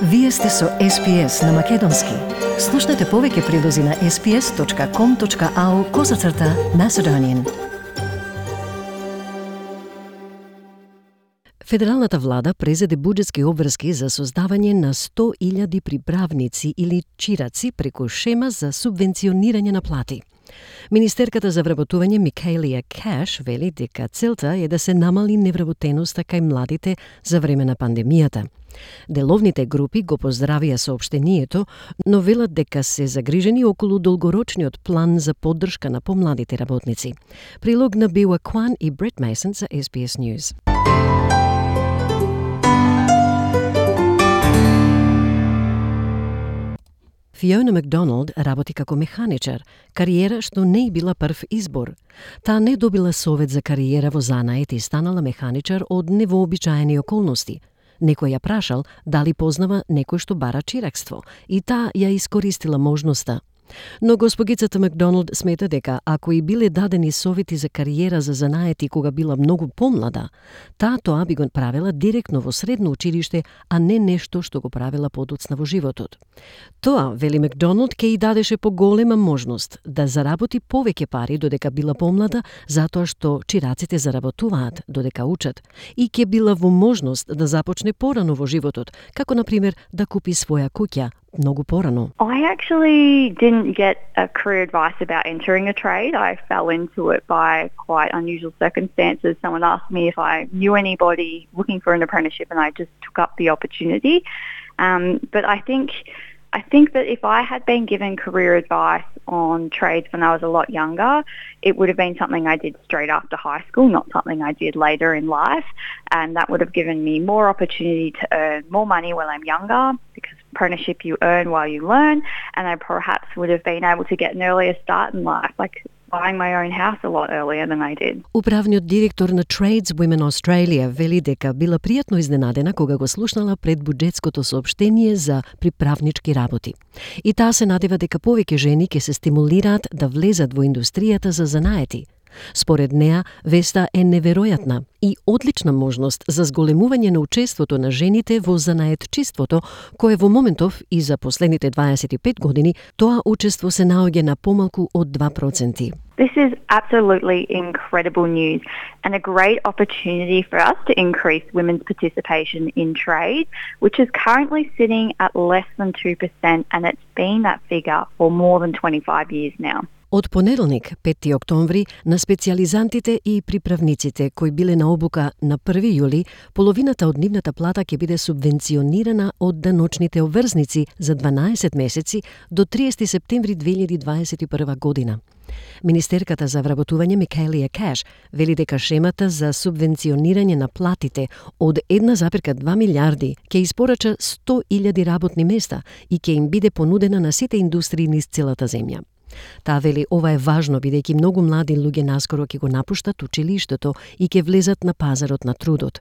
Вие сте со SPS на Македонски. Слушнете повеќе прилози на sps.com.au/Macedonian. Федералната влада презеде буџетски обврски за создавање на 100.000 приправници или чираци преку шема за субвенционирање на плати. Министерката за вработување Микаелија Кеш вели дека целта е да се намали невработеноста кај младите за време на пандемијата. Деловните групи го поздравија соопштението, но велат дека се загрижени околу долгорочниот план за поддршка на помладите работници. Прилог на Биуа Кван и Брет Мейсон за SBS News. Фиона Макдоналд работи како механичар, кариера што не и била прв избор. Таа не добила совет за кариера во занает и станала механичар од невообичаени околности. Некој ја прашал дали познава некој што бара чиракство и таа ја искористила можноста. Но госпогицата Макдоналд смета дека ако и биле дадени совети за кариера за занаети кога била многу помлада, таа тоа би го правила директно во средно училиште, а не нешто што го правила подоцна во животот. Тоа, вели Макдоналд, ке и дадеше поголема можност да заработи повеќе пари додека била помлада, затоа што чираците заработуваат додека учат, и ке била во можност да започне порано во животот, како например да купи своја куќа многу порано. I actually didn't get a career advice about entering a trade. I fell into it by quite unusual circumstances. Someone asked me if I knew anybody looking for an apprenticeship and I just took up the opportunity. But I think that if I had been given career advice on trades when I was a lot younger, it would have been something I did straight after high school, not something I did later in life. And that would have given me more opportunity to earn more money when I'm younger, because apprenticeship you earn while you learn, and I perhaps would have been able to get an earlier start in life, like buying my own house a lot earlier than I did. Управниот директор на Trades Women Australia вели дека била пријатно изненадена кога го слушнала пред буџетското соопштение за приправнички работи. И таа се надева дека повеќе жени ќе се стимулираат да влезат во индустријата за занаети. Според неа, веста е неверојатна и одлична можност за зголемување на учеството на жените во занаетчиството, кое во моментов и за последните 25 години тоа учество се наоѓа на помалку од 2%. This is absolutely incredible news and a great opportunity for us to increase women's participation in trade, which is currently sitting at less than 2%, and it's been that figure for more than 25 years now. Од понеделник, 5 октомври, на специјализантите и приправниците кои биле на обука на 1 јули, половината од нивната плата ќе биде субвенционирана од даночните обврзници за 12 месеци до 30 септември 2021 година. Министерката за вработување Микаелија Кеш вели дека шемата за субвенционирање на платите од 1,2 милиарди ќе испорача 100.000 работни места и ќе им биде понудена на сите индустрии низ целата земја. Таа вели ова е важно бидејќи многу млади луѓе наскоро ќе го напуштат училиштето и ќе влезат на пазарот на трудот.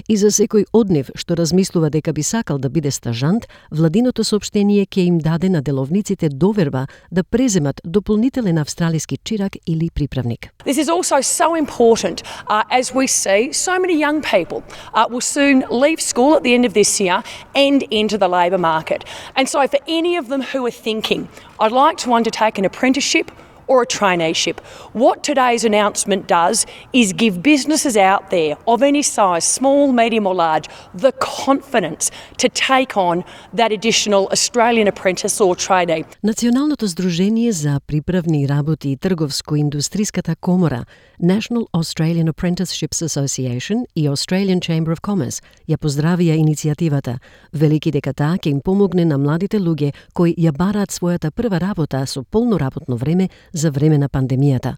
И за секој од нив што размислува дека би сакал да биде стажант, владиното соопштение ќе им даде на деловниците доверба да преземат дополнителен австралиски чирак или приправник. This is also so important as we see so many young people will soon leave school at the end of this year and enter the labour market. And so for any of them who are thinking, I'd like to undertake an apprenticeship or a traineeship. What today's announcement does is give businesses out there of any size, small, medium or large, the confidence to take on that additional Australian apprentice or trainee. Националното здружение за приправни работи и трговско-индустриската комора, National Australian Apprenticeships Association и Australian Chamber of Commerce ја поздравија иницијативата, велики дека таа ќе им помогне на младите луѓе кои ја бараат својата прва работа со полно работно време за време на пандемијата.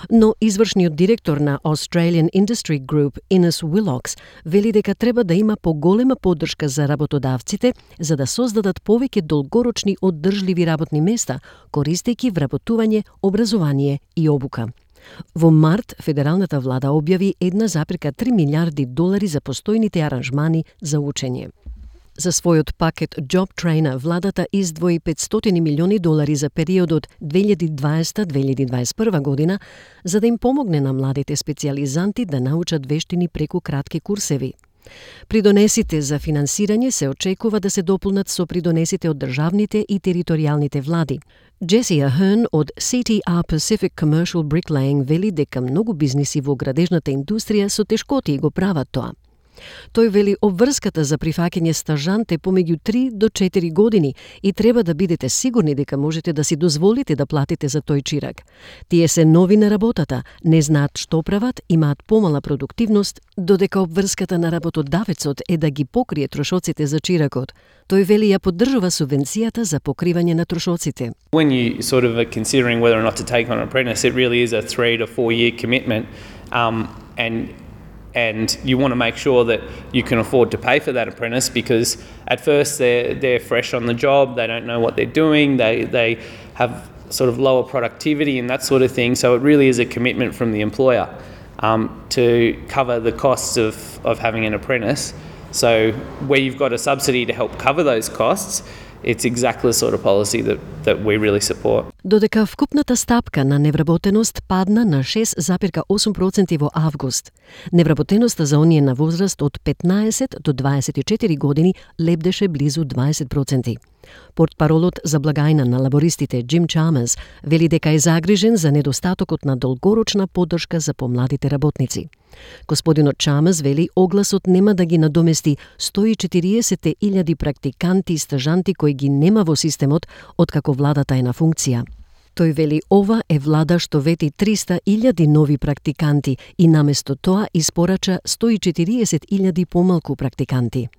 Но извршниот директор на Australian Industry Group, Ines Willox, вели дека треба да има поголема поддршка за работодавците за да создадат повеќе долгорочни оддржливи работни места, користејќи вработување, образование и обука. Во март, федералната влада објави 1,3 милиарди долари за постојните аранжмани за учење. За својот пакет Job Trainer владата издвои 500 милиони долари за периодот 2020-2021 година за да им помогне на младите специјализанти да научат вештини преку кратки курсеви. Придонесите за финансирање се очекува да се дополнат со придонесите од државните и територијалните влади. Джеси Ахерн од CTR Pacific Commercial Bricklaying вели дека многу бизниси во градежната индустрија со тешкоти го прават тоа. Тој вели обврската за прифаќање стажант е помеѓу 3 до 4 години и треба да бидете сигурни дека можете да си дозволите да платите за тој чирак. Тие се нови на работата, не знаат што прават, имаат помала продуктивност, додека обврската на работодавецот е да ги покрие трошоците за чиракот. Тој вели ја поддржува субвенцијата за покривање на трошоците. When you sort of are considering whether or not to take on an apprentice, it really is a 3 to 4 year commitment, and you want to make sure that you can afford to pay for that apprentice, because at first they're fresh on the job, they don't know what they're doing, they have sort of lower productivity and that sort of thing, so it really is a commitment from the employer to cover the costs of having an apprentice. So where you've got a subsidy to help cover those costs, it's exactly the sort of policy that we really support. Додека вкупната стапка на невработеност падна на 6,8% во август, невработеноста за оние на возраст од 15 до 24 години лебдеше близу 20%. Портпаролот за благајна на лабористите Джим Чамерс вели дека е загрижен за недостатокот на долгорочна поддршка за помладите работници. Господинот Чамерс вели огласот нема да ги надомести 140.000 практиканти и стажанти кои ги нема во системот откако владата е на функција. Тој вели ова е влада што вети 300.000 нови практиканти и наместо тоа испорача 140.000 помалку практиканти.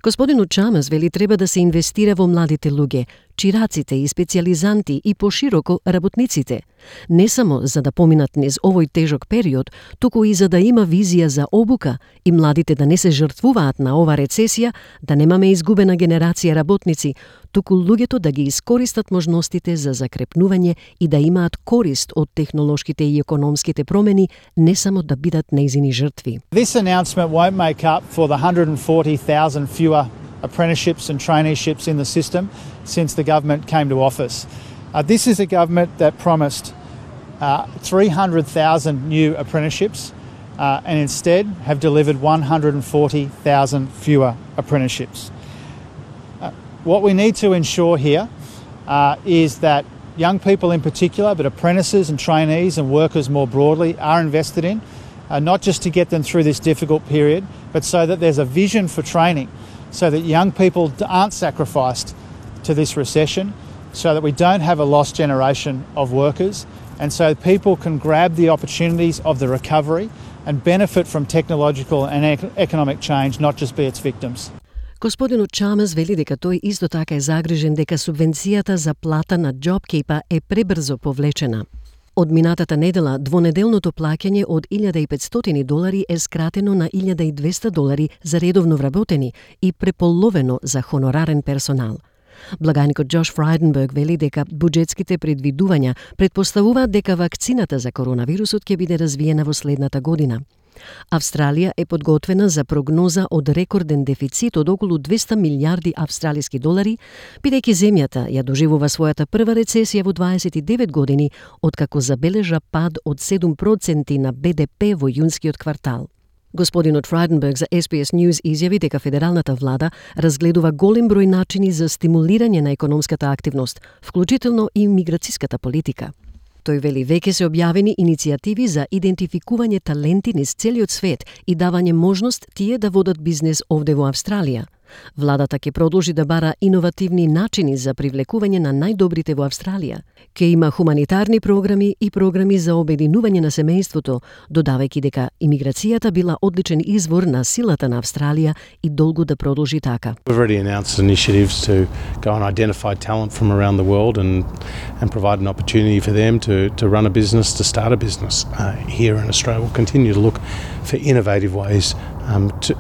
Господинот Чамерс вели треба да се инвестира во младите луѓе, чираците и специјализанти и пошироко работниците. Не само за да поминат низ овој тежок период, туку и за да има визија за обука и младите да не се жртвуваат на ова рецесија, да немаме изгубена генерација работници, туку луѓето да ги искористат можностите за закрепнување и да имаат корист од технолошките и економските промени, не само да бидат нејзини жртви. This announcement won't make up for the 140,000 fewer apprenticeships and traineeships in the system since the government came to office. This is a government that promised 300,000 new apprenticeships and instead have delivered 140,000 fewer apprenticeships. What we need to ensure here is that young people in particular, but apprentices and trainees and workers more broadly, are invested in, not just to get them through this difficult period, but so that there's a vision for training, so that young people aren't sacrificed to this recession, so that we don't have a lost generation of workers, and so people can grab the opportunities of the recovery and benefit from technological and economic change, not just be its victims. Господинот Чамерс вели дека тој исто така е загрижен дека субвенцијата за плата на JobKeeper е пребрзо повлечена. Од минатата недела, двонеделното плаќање од $1.500 е скратено на $1.200 за редовно вработени и преполовено за хонорарен персонал. Благајникот Джош Фрайденберг вели дека буџетските предвидувања претпоставуваат дека вакцината за коронавирусот ќе биде развиена во следната година. Австралија е подготвена за прогноза од рекорден дефицит од околу 200 милијарди австралиски долари, бидејќи земјата ја доживува својата прва рецесија во 29 години, откако забележа пад од 7% на БДП во јунскиот квартал. Господинот Фрайденберг за SBS News изјави дека федералната влада разгледува голем број начини за стимулирање на економската активност, вклучително и миграциската политика. Тој вели веќе се објавени иницијативи за идентификување таленти низ целиот свет и давање можност тие да водат бизнес овде во Австралија. Владата ќе продолжи да бара иновативни начини за привлекување на најдобрите во Австралија. Ке има хуманитарни програми и програми за обединување на семејството, додавајќи дека имиграцијата била одличен извор на силата на Австралија и долго да продолжи така. We've already announced initiatives to go and identify talent from around the world and provide an opportunity for them to run a business, to start a business here in Australia. We'll continue to look for innovative ways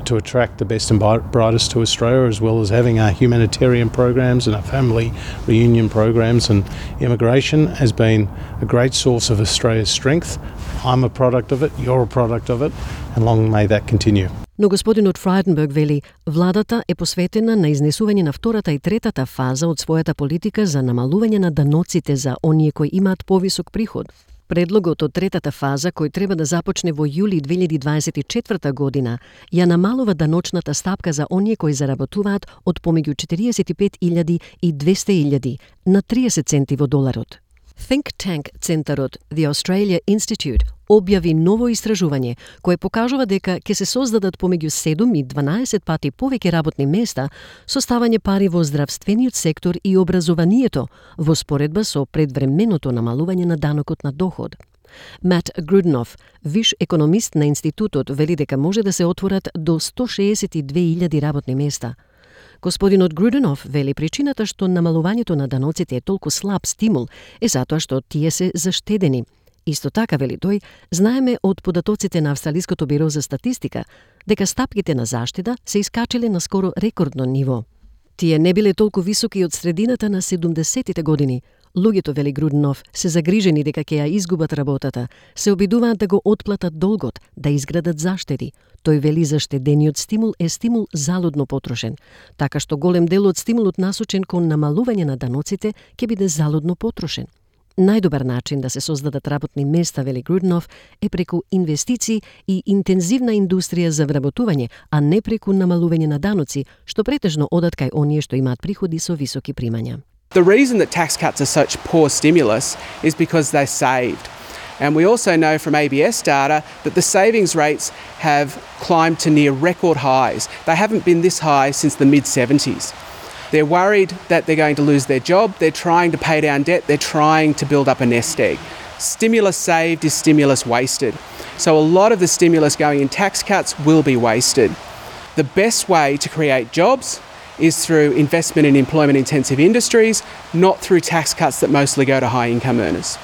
to attract the best and brightest to Australia, as well as having our humanitarian programs and our family reunion programs. And immigration has been a great source of Australia's strength. I'm a product of it, you're a product of it, and long may that continue. Но господинот Фрайденберг вели, владата е посветена на изнесување на втората и третата фаза од својата политика за намалување на даноците за оние кои имаат повисок приход. Предлогот од третата фаза, кој треба да започне во јули 2024 година, ја намалува даночната стапка за оние кои заработуваат од помеѓу 45.000 и 200.000 на 30 центи во доларот. Think Tank центарот The Australia Institute објави ново истражување кое покажува дека ќе се создадат помеѓу 7 и 12 пати повеќе работни места со ставање пари во здравствениот сектор и образованието во споредба со предвременото намалување на данокот на доход. Мат Груденов, виш економист на институтот, вели дека може да се отворат до 162.000 работни места. Господинот Груденов вели причината што намалувањето на даноците е толку слаб стимул е затоа што тие се заштедени. Исто така, вели тој, знаеме од податоците на Австралиското биро за статистика дека стапките на заштеда се искачиле на скоро рекордно ниво. Тие не биле толку високи од средината на 70-тите години. Луѓето, вели Груденов, се загрижени дека ќе ја изгубат работата, се обидуваат да го отплатат долгот, да изградат заштеди. Тој вели заштедениот стимул е стимул залудно потрошен, така што голем дел од стимулот насочен кон намалување на даноците ќе биде залудно потрошен. Најдобар начин да се создадат работни места, вели Груденов, е преку инвестиции и интензивна индустрија за вработување, а не преку намалување на даноци, што претежно одат кај оние што имаат приходи со високи примања. The reason that tax cuts are such poor stimulus is because they're saved. And we also know from ABS data that the savings rates have climbed to near record highs. They haven't been this high since the mid-70s. They're worried that they're going to lose their job, they're trying to pay down debt, they're trying to build up a nest egg. Stimulus saved is stimulus wasted. So a lot of the stimulus going in tax cuts will be wasted. The best way to create jobs is through investment in employment-intensive industries, not through tax cuts that mostly go to high-income earners.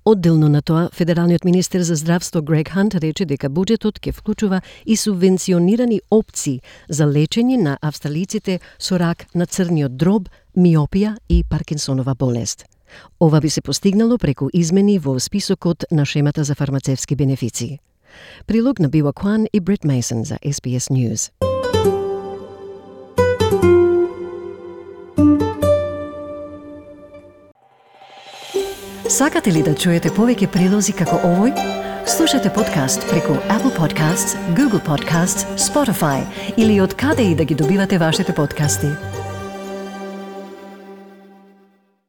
Одделно на тоа, федералниот министер за здравство Грег Хант рече дека буџетот ќе вклучува и субвенционирани опции за лечење на австралиците со рак на црниот дроб, миопија и Паркинсонова болест. Ова би се постигнало преку измени во списокот на шемата за фармацевски бенефиции. Прилог на Бива Кван и Брит Мейсон за SBS News. Сакате ли да чуете повеќе прилози како овој? Слушате подкаст преку Apple Podcasts, Google Podcasts, Spotify или од каде и да ги добивате вашите подкасти.